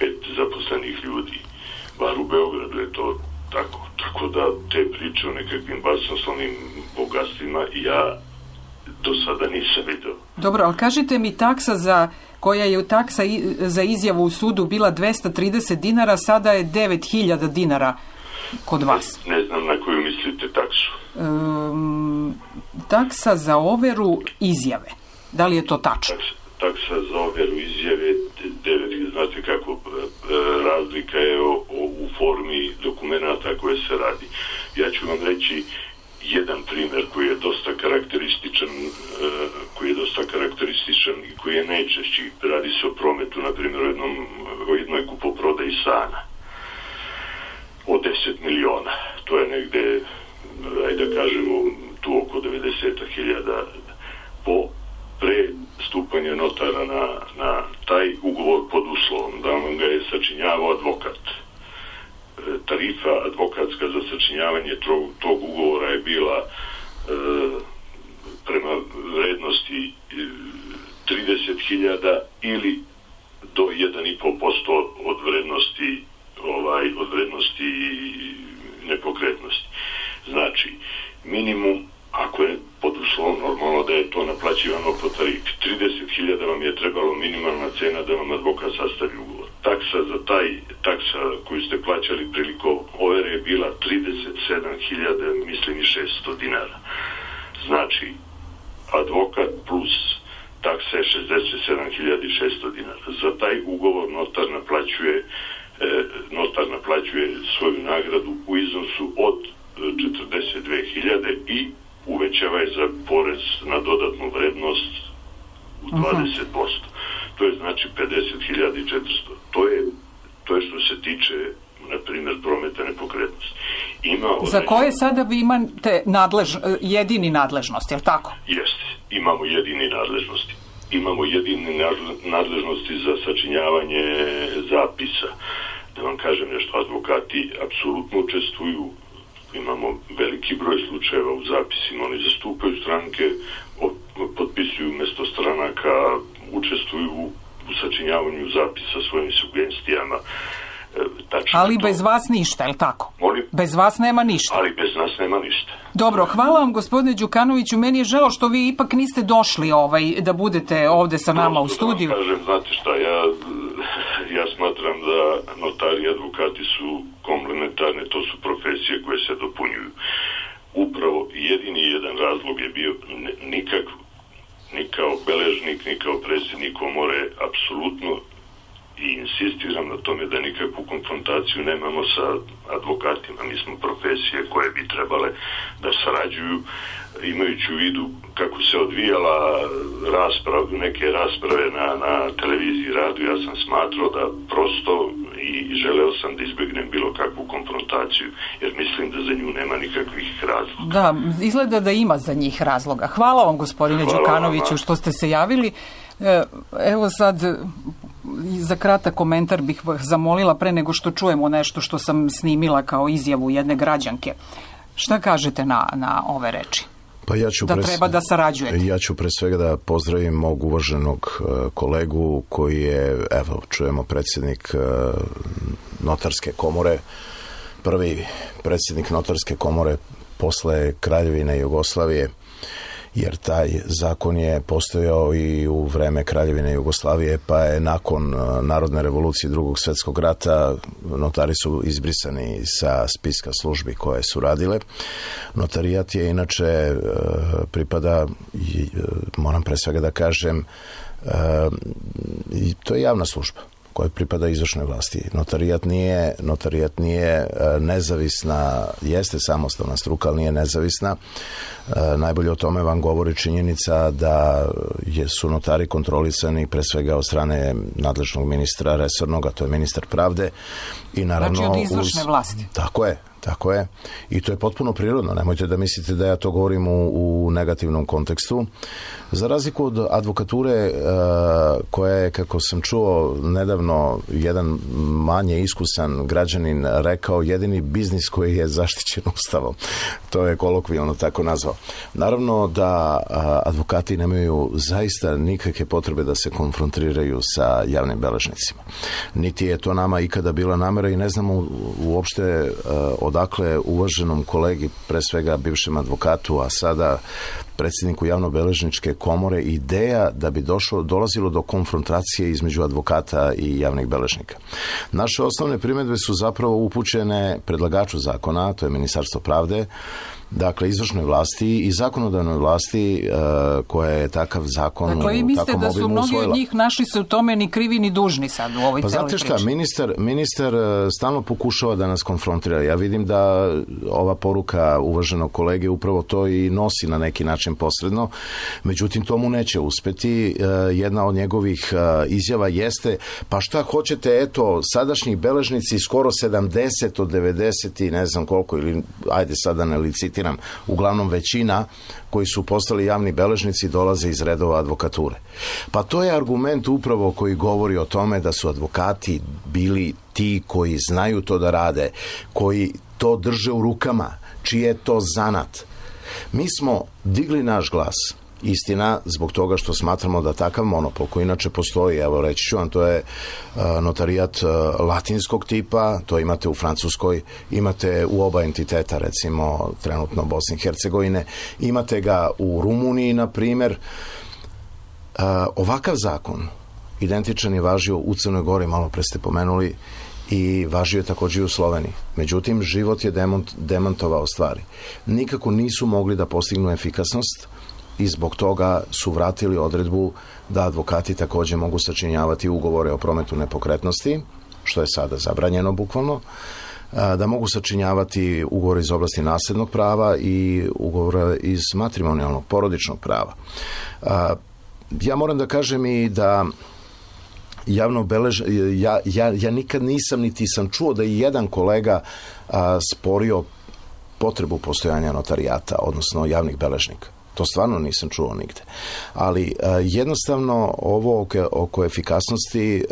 5 zaposlenih ljudi, bar u Beogradu je to tako. Tako da te priče o nekakvim basnoslovnim bogatstvima ja do sada nisam vidio. Dobro, ali kažite mi koja je taksa za izjavu u sudu bila 230 dinara, sada je 9.000 dinara kod vas. Ne znam na koju mislite taksu. Taksa za overu izjave. Da li je to tačno? Taksa za overu izjave 9, znate kako, razlika je u formi dokumenata koje se radi. Ja ću vam reći jedan primjer koji je dosta karakterističan i koji je najčešći. Radi se o prometu, na primjer, o jednoj kupoprodaji stana od 10 miliona. To je negde, ajde da kažemo, tu oko 90.000. Po pre stupanja notara na taj ugovor pod uslovom da vam ga je sačinjavao advokat. Tarifa advokatska za sačinjavanje tog ugovora je bila prema vrednosti 30.000 ili do 1,5% od vrednosti nepokretnosti. Znači, minimum, ako je pod uslovom normalno da je to naplaćivano po tarifi, 30.000 vam je trebalo minimalna cena da vam advokat sastavi ugovor. Taksa koju ste plaćali prilikom overe je bila 37.000, mislim, i 600 dinara. Znači, advokat plus taksa je 67.600 dinara. Za taj ugovor notar naplaćuje svoju nagradu u iznosu od 42.000 i uvećava je za porez na dodatnu vrednost u 20%. To je znači 50.400. To je što se tiče, na primjer, prometa nepokretnosti. Za koje sada vi imate jedini nadležnost, je li tako? Jeste, imamo jedini nadležnosti. Imamo jedini nadležnosti za sačinjavanje zapisa. Da vam kažem nešto, advokati apsolutno učestvuju, imamo veliki broj slučajeva u zapisima, oni zastupaju stranke, potpisuju umjesto stranaka, učestvuju u sačinjavanju zapisa svojim sugestijama. Ali bez vas ništa, je li tako? Molim? Bez vas nema ništa. Ali bez nas nema ništa. Dobro, hvala vam, gospodine Đukanoviću. Meni je žao što vi ipak niste došli da budete ovde sa nama u studiju. Da vam kažem, znate šta, ja smatram da notari i advokati su komplementarne, to su profesije koje se dopunjuju. Upravo jedini jedan razlog je bio ni kao beležnik, ni kao predsjednik komore, apsolutno, i insistiram na tome da nikakvu konfrontaciju nemamo sa advokatima. Mi smo profesije koje bi trebale da sarađuju, imajući u vidu kako se odvijala neke rasprave na televiziji i radiju. Ja sam smatrao da prosto i i želeo sam da izbjegnem bilo kakvu konfrontaciju, jer mislim da za nju nema nikakvih razloga. Da, izgleda da ima za njih razloga. Hvala vam, gospodine Đukanoviću, što ste se javili. Evo sad, za kratak komentar bih vas zamolila pre nego što čujemo nešto što sam snimila kao izjavu jedne građanke. Šta kažete na ove reči? Pa ja ću treba da sarađujete. Ja ću pre svega da pozdravim mog uvaženog kolegu koji je, evo, čujemo, predsjednik Notarske komore, prvi predsjednik Notarske komore posle Kraljevine Jugoslavije, jer taj zakon je postojao i u vreme Kraljevine Jugoslavije, pa je nakon Narodne revolucije Drugog svjetskog rata notari su izbrisani sa spiska službi koje su radile. Notarijat je inače pripada, moram pre svega da kažem, to je javna služba koja pripada izvršnoj vlasti. Notarijat nije nezavisna, jeste samostalna struka, ali nije nezavisna. Najbolje o tome vam govori činjenica da su notari kontrolisani pre svega od strane nadležnog ministra resornog, a to je ministar pravde. I naravno, znači od izvršne vlasti. Tako je. I to je potpuno prirodno. Nemojte da mislite da ja to govorim u negativnom kontekstu. Za razliku od advokature koja je, kako sam čuo nedavno, jedan manje iskusan građanin rekao, jedini biznis koji je zaštićen Ustavom. To je kolokvijalno tako nazvao. Naravno da advokati nemaju zaista nikakve potrebe da se konfrontiraju sa javnim beležnicima. Niti je to nama ikada bila namera i ne znamo uopšte odakle uvaženom kolegi, pre svega bivšem advokatu, a sada predsjedniku javnobeležničke komore, ideja da bi dolazilo do konfrontacije između advokata i javnih beležnika. Naše osnovne primjedbe su zapravo upućene predlagaču zakona, to je Ministarstvo pravde, dakle izvršnoj vlasti i zakonodavnoj vlasti koja je takav zakon u takvom obimu usvojila. Dakle, vi mislite da su mnogi od njih našli se u tome ni krivi ni dužni sad u ovoj celoj priči? Pa znate šta, ministar stalno pokušava da nas konfrontira. Ja vidim da ova poruka uvaženog kolege upravo to i nosi na neki način posredno, međutim to mu neće uspeti. Jedna od njegovih izjava jeste, pa šta hoćete, eto, sadašnji beležnici skoro 70 od 90 i ne znam koliko, ili ajde sada ne licitiram, uglavnom većina koji su postali javni beležnici dolaze iz redova advokature. Pa to je argument upravo koji govori o tome da su advokati bili ti koji znaju to da rade, koji to drže u rukama, čiji je to zanat. Mi smo digli naš glas, istina, zbog toga što smatramo da takav monopol koji inače postoji, evo reći ću vam, to je notarijat latinskog tipa, to imate u Francuskoj, imate u oba entiteta, recimo trenutno Bosne i Hercegovine, imate ga u Rumuniji, na primjer. Ovakav zakon identičan je važio u Crnoj Gori, malo pre ste pomenuli, i važio je također i u Sloveniji. Međutim, život je demantovao stvari. Nikako nisu mogli da postignu efikasnost i zbog toga su vratili odredbu da advokati također mogu sačinjavati ugovore o prometu nepokretnosti, što je sada zabranjeno bukvalno, da mogu sačinjavati ugovore iz oblasti nasljednog prava i ugovore iz matrimonijalnog, porodičnog prava. Ja moram da kažem i da ja nikad nisam niti sam čuo da je jedan kolega sporio potrebu postojanja notarijata, odnosno javnih beležnika. To stvarno nisam čuo nigde. Ali jednostavno ovo oko efikasnosti,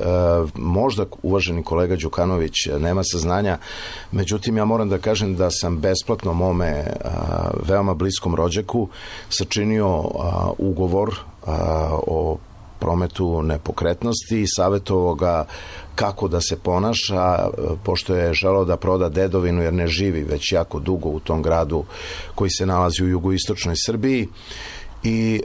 možda uvaženi kolega Đukanović nema saznanja, međutim ja moram da kažem da sam besplatno mome veoma bliskom rođaku sačinio ugovor o prometu nepokretnosti i savjetovao ga kako da se ponaša, pošto je želeo da proda dedovinu jer ne živi već jako dugo u tom gradu koji se nalazi u jugoistočnoj Srbiji i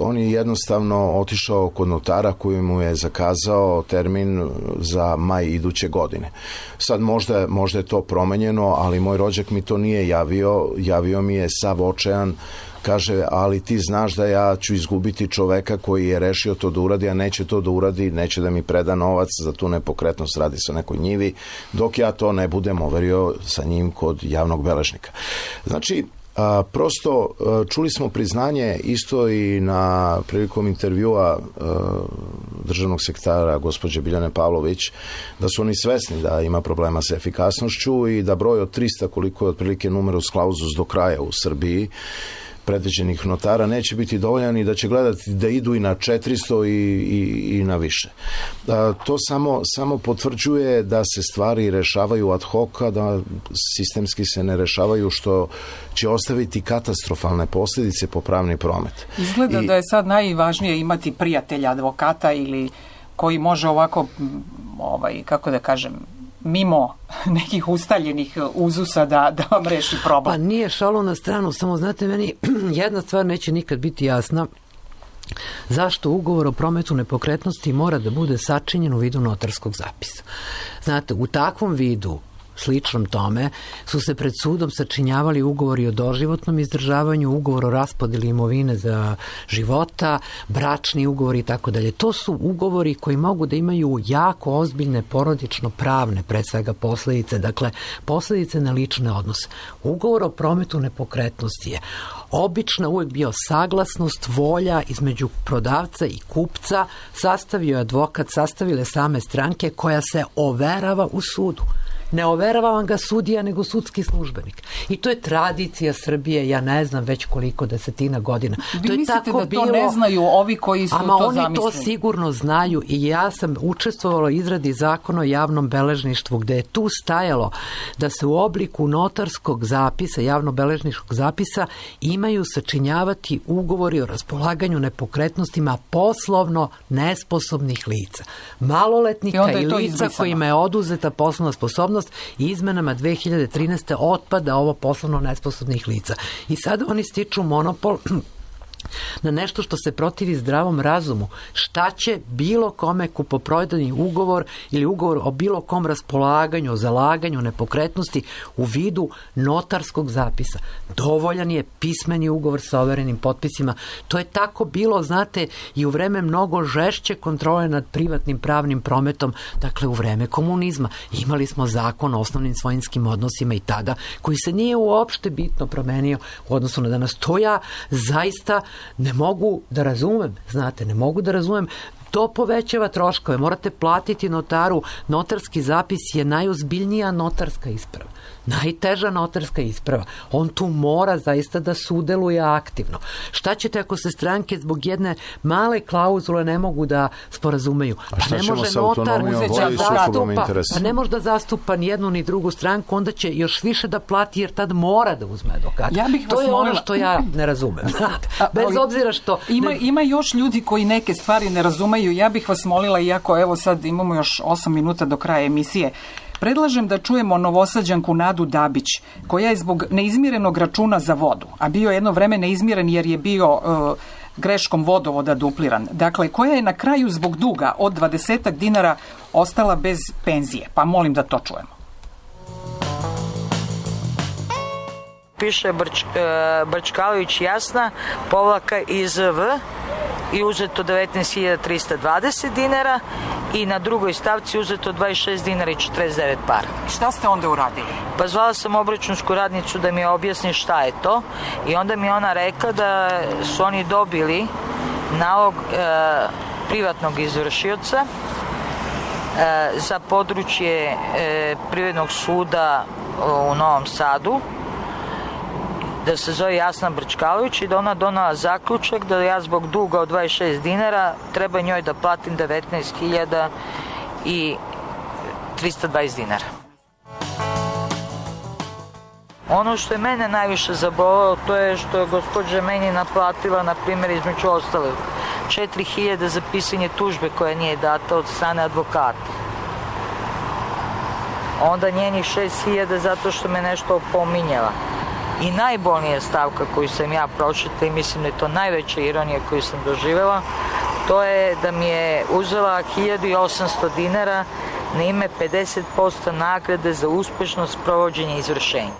on je jednostavno otišao kod notara koji mu je zakazao termin za maj iduće godine. Sad možda je to promenjeno, ali moj rođak mi to nije javio mi je sav očajan. Kaže, ali ti znaš da ja ću izgubiti čoveka koji je rešio to da uradi, a neće to da uradi, neće da mi preda novac za tu nepokretnost, radi se o nekoj njivi, dok ja to ne budem overio sa njim kod javnog beležnika. Znači, prosto čuli smo priznanje isto i prilikom intervjua državnog sekretara gospođe Biljane Pavlović, da su oni svesni da ima problema sa efikasnošću i da broj od 300, koliko je otprilike numerus clausus do kraja u Srbiji, predviđenih notara, neće biti dovoljan i da će gledati da idu i na 400 i na više. To samo potvrđuje da se stvari rešavaju ad hoc, da sistemski se ne rešavaju, što će ostaviti katastrofalne posljedice po pravni promet. Izgleda da je sad najvažnije imati prijatelja advokata ili koji može ovako, kako da kažem, mimo nekih ustaljenih uzusa da vam reši problem. Pa nije šalo na stranu, samo znate, meni jedna stvar neće nikad biti jasna. Zašto ugovor o prometu nepokretnosti mora da bude sačinjen u vidu notarskog zapisa? Znate, u takvom vidu, sličnom tome, su se pred sudom sačinjavali ugovori o doživotnom izdržavanju, ugovor o raspodeli imovine za života, bračni ugovori i tako dalje. To su ugovori koji mogu da imaju jako ozbiljne porodično-pravne, pred svega, posljedice, dakle, posljedice na lične odnose. Ugovor o prometu nepokretnosti je obično uvijek bio saglasnost, volja između prodavca i kupca, sastavio je advokat, sastavile same stranke, koja se overava u sudu. Ne overava vam ga sudija, nego sudski službenik. I to je tradicija Srbije, ja ne znam već koliko desetina godina. Vi mislite da to ne znaju ovi koji su to zamislili? Oni to sigurno znaju i ja sam učestvovala u izradi zakona o javnom beležništvu, gde je tu stajalo da se u obliku notarskog zapisa, javnobeležničkog zapisa, imaju sačinjavati ugovori o raspolaganju nepokretnostima poslovno nesposobnih lica. Maloletnika i lica kojima je oduzeta poslovna sposobnost, i izmenama 2013. otpada ovo poslovno nesposobnih lica. I sada oni stiču monopol na nešto što se protivi zdravom razumu. Šta će bilo kome kupoprodajni ugovor ili ugovor o bilo kom raspolaganju, o zalaganju nepokretnosti u vidu notarskog zapisa? Dovoljan je pismeni ugovor sa overenim potpisima. To je tako bilo, znate, i u vreme mnogo žešće kontrole nad privatnim pravnim prometom, dakle u vreme komunizma. Imali smo zakon o osnovnim svojinskim odnosima i tada, koji se nije uopšte bitno promenio u odnosu na danas. To ja zaista ne mogu da razumem, znate, ne mogu da razumem. To povećava troškove, morate platiti notaru. Notarski zapis je najozbiljnija notarska isprava, najteža notarska isprava. On tu mora zaista da sudeluje aktivno. Šta ćete ako se stranke zbog jedne male klauzule ne mogu da sporazumeju? Pa ne može notar ne može da zastupa ni jednu ni drugu stranku, onda će još više da plati jer tad mora da uzme advokata. To je ono što ja ne razumem. Bez obzira što... Ima još ljudi koji neke stvari ne razumeju. Ja bih vas molila, iako evo sad imamo još 8 minuta do kraja emisije, predlažem da čujemo Novosađanku Nadu Dabić, koja je zbog neizmirenog računa za vodu, a bio jedno vreme neizmiren jer je bio greškom vodovoda dupliran, dakle, koja je na kraju zbog duga od 20 dinara ostala bez penzije. Pa molim da to čujemo. Piše Brčkalović Jasna, povlaka iz V, i uzeto 19.320 dinara i na drugoj stavci uzeto 26 dinara i 49 para. Šta ste onda uradili? Pa zvala sam obračunsku radnicu da mi objasni šta je to i onda mi ona rekla da su oni dobili nalog privatnog izvršioca za područje Privrednog suda u Novom Sadu, da se zove Jasna Brčkalović i da ona donala zaključak da ja zbog duga od 26 dinara treba njoj da platim 19.320 dinara. Ono što je mene najviše zabolelo, to je što je gospođa meni naplatila, na primjer, između ostalog 4.000 za pisanje tužbe koja nije data od strane advokata. Onda njenih 6.000 zato što me nešto opominjala. I najbolnija stavka koju sam ja pročitala i mislim da je to najveća ironija koju sam doživjela, to je da mi je uzela 1.800 dinara na ime 50% nagrade za uspešno sprovođenje izvršenja.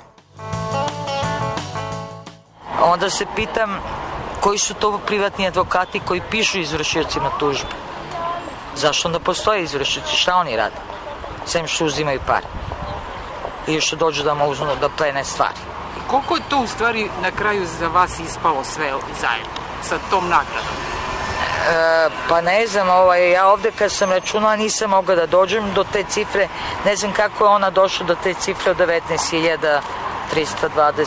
Onda se pitam koji su to privatni advokati koji pišu izvršiocima tužbe. Zašto onda postoje izvršioci? Šta oni rade? Sem što uzimaju pare. Ili što dođu da mu uzmu da plene stvari. Koliko je to u stvari na kraju za vas ispalo sve zajedno sa tom nagradom? Pa ne znam, ja ovde kad sam računala nisam mogla da dođem do te cifre, ne znam kako je ona došla do te cifre od 19.320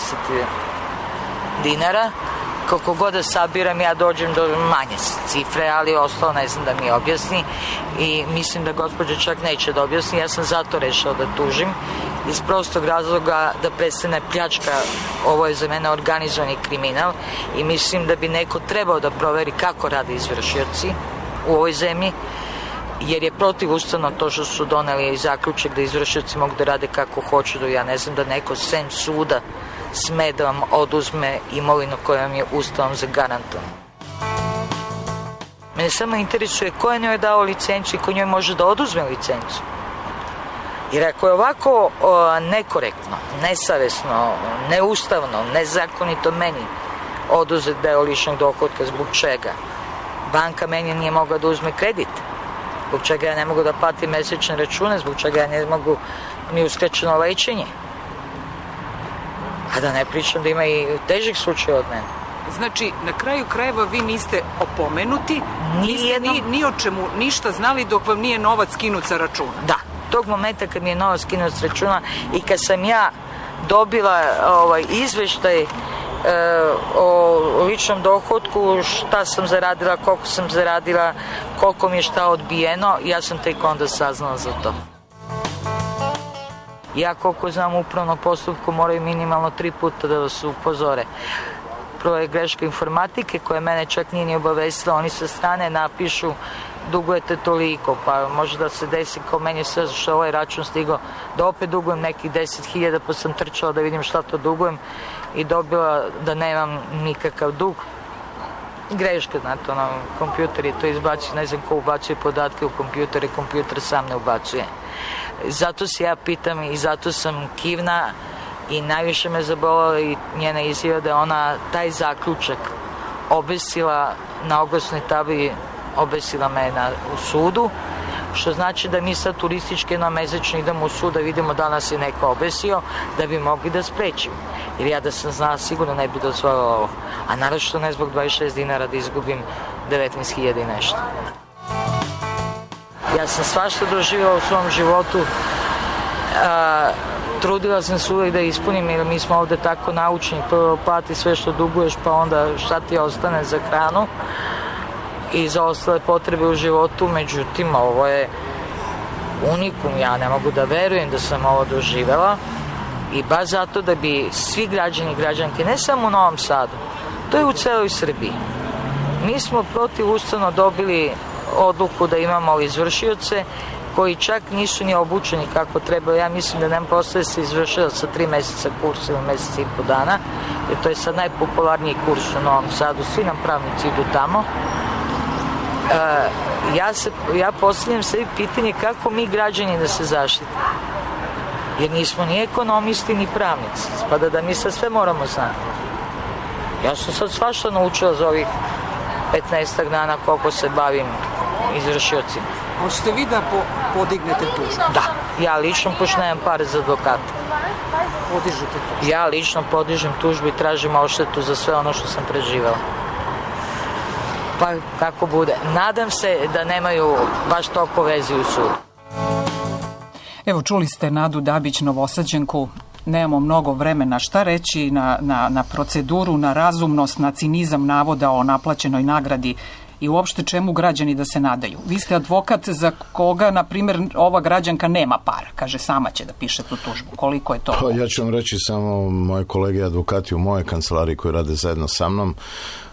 dinara. Koliko god da sabiram, ja dođem do manje cifre, ali ostalo ne znam da mi objasni i mislim da gospođa čak neće da objasni. Ja sam zato rešao da tužim iz prostog razloga da prestane pljačka. Ovo je za mene organizovani kriminal i mislim da bi neko trebao da proveri kako rade izvršioci u ovoj zemlji, jer je protivustavno to što su doneli i zaključak da izvršioci mogu da rade kako hoću. Ja ne znam da neko sem suda sme da vam oduzme imovinu koja vam je ustavom zagarantovana. Mene samo interesuje ko je njoj dao licencu i ko njoj može da oduzme licencu. Jer ako je ovako nekorektno, nesavesno, neustavno, nezakonito meni oduzet deo ličnog dohotka, zbog čega? Banka meni nije mogla da uzme kredit, zbog čega ja ne mogu da platim mesečne račune, zbog čega ja ne mogu ni uskraćeno lečenje. A da ne pričam da ima i težih slučaja od mene. Znači, na kraju krajeva vi niste opomenuti, niste ni o čemu ništa znali dok vam nije novac skinut sa računa. Da, tog momenta kad mi je novac skinut sa računa i kad sam ja dobila izveštaj o ličnom dohotku, šta sam zaradila, koliko mi je šta odbijeno, ja sam tek onda saznala za to. Ja koliko znam u upravnom postupku moraju minimalno 3 puta da vas upozore. Prvo je greška informatike koja mene čak nije ni obavestila, oni sa strane napišu dugujete toliko, pa može da se desi kao meni sve što ovaj račun stigao da opet dugujem nekih 10.000, pa sam trčala da vidim šta to dugujem i dobila da nemam nikakav dug. Greška, znate, kompjuter je to izbacio, ne znam ko ubacuje podatke u kompjutere, kompjuter sam ne ubacuje. Zato se ja pitam i zato sam kivna i najviše me zabolila i njena izjava da je ona taj zaključak obesila na oglasnoj tabli, obesila me u sudu, što znači da mi sad turistički mesečno idemo u sud da vidimo da nas je neko obesio, da bi mogli da sprečimo. Jer ja da sam znala sigurno ne bi dozvolila ovo. A naravno ne zbog 26 dinara da izgubim 19.000 i nešto. Ja sam svašta doživjela u svom životu. Trudila sam se uvijek da ispunim, jer mi smo ovde tako naučeni, prvo plati sve što duguješ, pa onda šta ti ostane za hranu i za ostale potrebe u životu. Međutim, ovo je unikum, ja ne mogu da verujem da sam ovo doživjela i baš zato da bi svi građani i građanke, ne samo u Novom Sadu, to je u celoj Srbiji. Mi smo protivustavno dobili odluku da imamo izvršioce koji čak nisu ni obučeni kako treba. Ja mislim da nam postoje se izvršilac sa 3 meseca kursa ili meseca i po dana, jer to je sad najpopularniji kurs u Novom Sadu, svi nam pravnici idu tamo. Ja postavljam sebi pitanje kako mi građani da se zaštitimo, jer nismo ni ekonomisti ni pravnici, spada da mi sad sve moramo znati. Ja sam sad svašta naučila za ovih 15 dana koliko se bavim izvršiocima. Hoćete vi da podignete tužbu? Da, ja lično, pošto nemam pare za advokata. Podižete tužbu? Ja lično podižem tužbu i tražim odštetu za sve ono što sam preživela. Pa kako bude. Nadam se da nemaju baš toliko vezi u sudu. Evo, čuli ste Nadu Dabić, Novosađanku. Nemamo mnogo vremena. Šta reći na proceduru, na razumnost, na cinizam navoda o naplaćenoj nagradi i uopšte čemu građani da se nadaju? Vi ste advokat za koga, na primjer, ova građanka nema para. Kaže, sama će da piše tu tužbu. Koliko je to? Pa ja ću vam reći samo moje kolege advokati u moje kancelariji koji rade zajedno sa mnom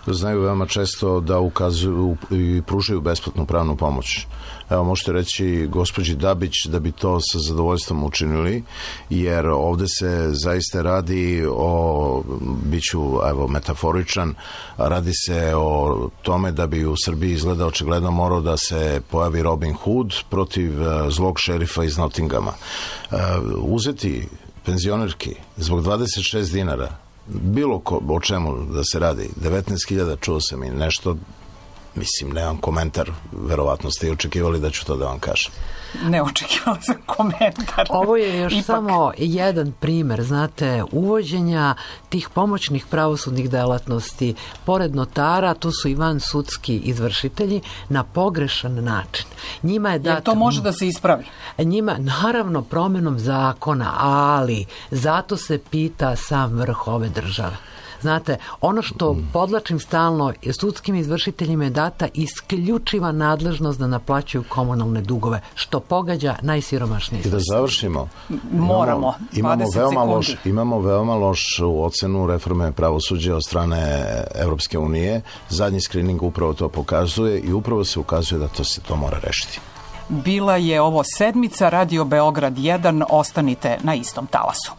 znaju veoma često da ukazuju i pružaju besplatnu pravnu pomoć. Evo, možete reći gospođi Dabić da bi to sa zadovoljstvom učinili, jer ovde se zaista radi o, biću metaforičan, radi se o tome da bi u Srbiji izgleda očigledno morao da se pojavi Robin Hood protiv zlog šerifa iz Nottinghama. Uzeti penzionerki zbog 26 dinara, bilo o čemu da se radi, 19.000 čuo sam i nešto, Mislim, nemam komentar, verovatno ste i očekivali da ću to da vam kažem. Ne očekivala sam komentar. Ovo je još samo jedan primer, znate, uvođenja tih pomoćnih pravosudnih delatnosti pored notara, tu su i vansudski izvršitelji, na pogrešan način. Njima je Jer to može da se ispravi? Njima, naravno, promjenom zakona, ali zato se pita sam vrh ove države. Znate, ono što podlačim stalno, sudskim izvršiteljima je data isključiva nadležnost da naplaćuju komunalne dugove, što pogađa najsiromašnije. I da završimo. Moramo. Imamo veoma lošu ocenu reforme pravosuđa od strane Evropske unije. Zadnji skrining upravo to pokazuje i upravo se ukazuje da se to mora rešiti. Bila je ovo sedmica Radio Beograd 1. Ostanite na istom talasu.